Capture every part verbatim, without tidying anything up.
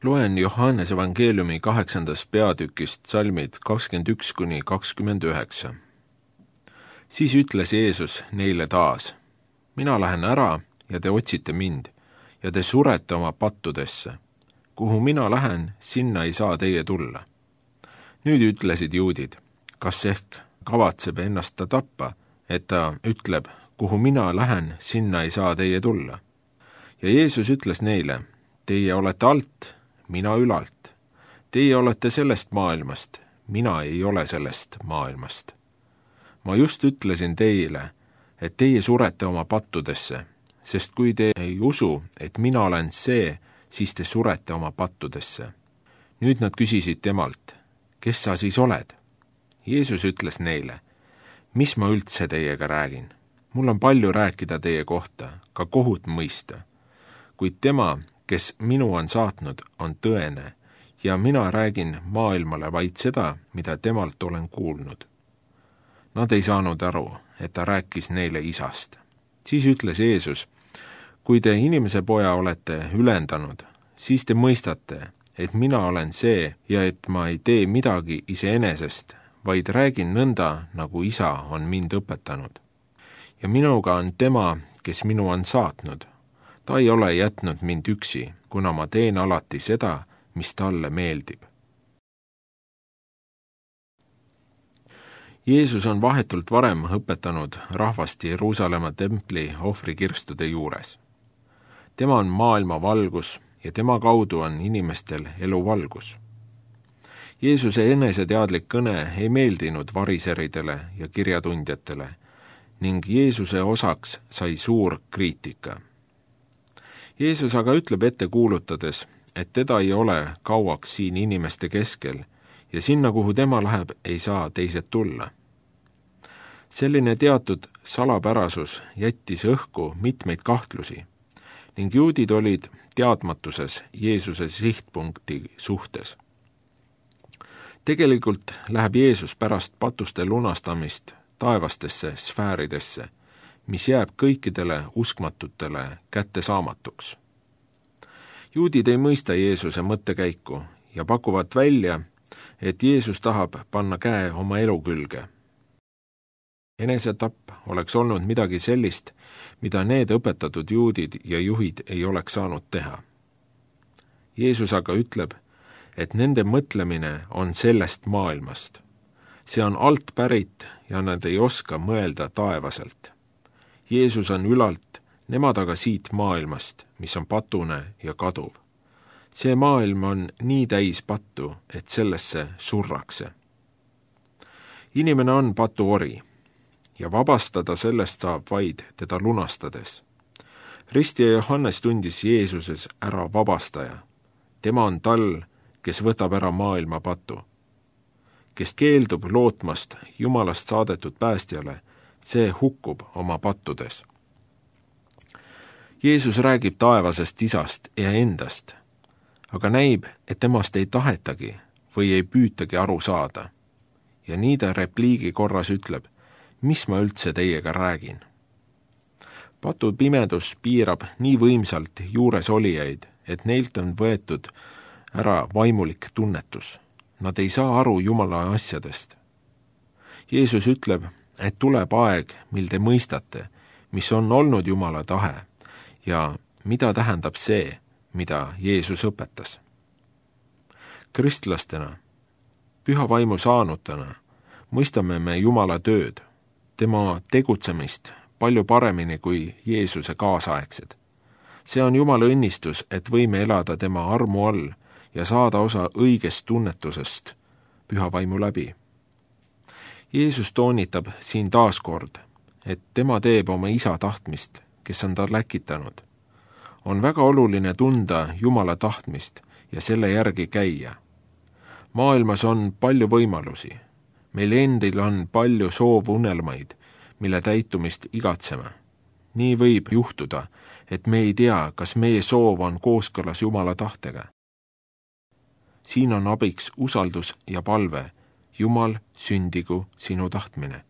Loen Johannese evangeeliumi kaheksandast peatükist salmid kakskümmend üks kuni kakskümmend üheksa. Siis ütles Jeesus neile taas: mina lähen ära ja te otsite mind ja te surete oma pattudesse. Kuhu mina lähen, sinna ei saa teie tulla. Nüüd ütlesid juudid: kas ehk kavatseb ennast ta tappa, et ta ütleb: kuhu mina lähen, sinna ei saa teie tulla. Ja Jeesus ütles neile: teie olete alt, mina ülalt. Teie olete sellest maailmast, mina ei ole sellest maailmast. Ma just ütlesin teile, et teie surete oma pattudesse, sest kui te ei usu, et mina olen see, siis te surete oma pattudesse. Nüüd nad küsisid temalt: kes sa siis oled? Jeesus ütles neile: mis ma üldse teiega räägin? Mul on palju rääkida teie kohta, ka kohut mõista. Kuid tema, kes minu on saatnud, on tõene, ja mina räägin maailmale vaid seda, mida temalt olen kuulnud. Nad ei saanud aru, et ta rääkis neile isast. Siis ütles Jeesus: kui te inimese poja olete ülendanud, siis te mõistate, et mina olen see ja et ma ei tee midagi iseenesest, vaid räägin nõnda, nagu isa on mind õpetanud. Ja minuga on tema, kes minu on saatnud. Ta ei ole jätnud mind üksi, kuna ma teen alati seda, mis talle meeldib. Jeesus on vahetult varem õpetanud rahvast Jeruusalemma templi ohvrikirstude juures. Tema on maailma valgus ja tema kaudu on inimestel elu valgus. Jeesuse eneseteadlik kõne ei meeldinud variseridele ja kirjatundjatele ning Jeesuse osaks sai suur kriitika. Jeesus aga ütleb ette kuulutades, et teda ei ole kauaks siin inimeste keskel ja sinna, kuhu tema läheb, ei saa teised tulla. Selline teatud salapärasus jättis õhku mitmeid kahtlusi ning juudid olid teadmatuses Jeesuse sihtpunkti suhtes. Tegelikult läheb Jeesus pärast patuste lunastamist taevastesse sfääridesse, mis jääb kõikidele uskmatutele kättesaamatuks. Juudid ei mõista Jeesuse mõttekäiku ja pakuvad välja, et Jeesus tahab panna käe oma elu külge. Enesetapp oleks olnud midagi sellist, mida need õpetatud juudid ja juhid ei oleks saanud teha. Jeesus aga ütleb, et nende mõtlemine on sellest maailmast. See on alt pärit ja nad ei oska mõelda taevaselt. Jeesus on ülalt, nemad aga siit maailmast, mis on patune ja kaduv. See maailm on nii täis pattu, et sellesse surrakse. Inimene on patuori ja vabastada sellest saab vaid teda lunastades. Ristija Johannes tundis Jeesuses ära vabastaja. Tema on tal, kes võtab ära maailma patu. Kes keeldub lootmast Jumalast saadetud päästjale, see hukkub oma pattudes. Jeesus räägib taevasest isast ja endast, aga näib, et temast ei tahetagi või ei püütagi aru saada. Ja nii ta repliigi korras ütleb: mis ma üldse teiega räägin? Patu pimedus piirab nii võimsalt juures olijaid, et neilt on võetud ära vaimulik tunnetus. Nad ei saa aru Jumala asjadest. Jeesus ütleb, et tuleb aeg, mil te mõistate, mis on olnud Jumala tahe ja mida tähendab see, mida Jeesus õpetas. Kristlastena, püha vaimu saanutena, mõistame me Jumala tööd, tema tegutsemist palju paremini kui Jeesuse kaasaegsed. See on Jumala õnnistus, et võime elada tema armu all ja saada osa õigest tunnetusest püha vaimu läbi. Jeesus toonitab siin taaskord, et tema teeb oma isa tahtmist, kes on ta läkitanud. On väga oluline tunda Jumala tahtmist ja selle järgi käia. Maailmas on palju võimalusi. Meil endil on palju soovunelmaid, mille täitumist igatseme. Nii võib juhtuda, et me ei tea, kas meie soov on kooskõlas Jumala tahtega. Siin on abiks usaldus ja palve: Jumal, sündigu sinu tahtmine.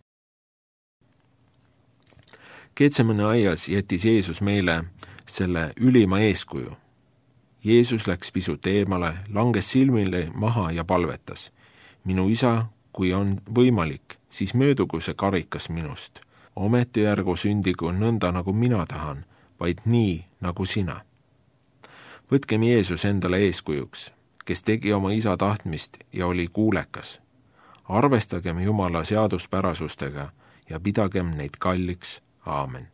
Getsemane aias jättis Jeesus meile selle ülima eeskuju. Jeesus läks pisut eemale, langes silmile maha ja palvetas. Minu isa, kui on võimalik, siis möödugu see karikas minust. Ometi järgu sündigu nõnda, nagu mina tahan, vaid nii, nagu sina. Võtkem Jeesus endale eeskujuks, kes tegi oma isa tahtmist ja oli kuulekas. Arvestagem Jumala seaduspärasustega ja pidagem neid kalliks. Aamen.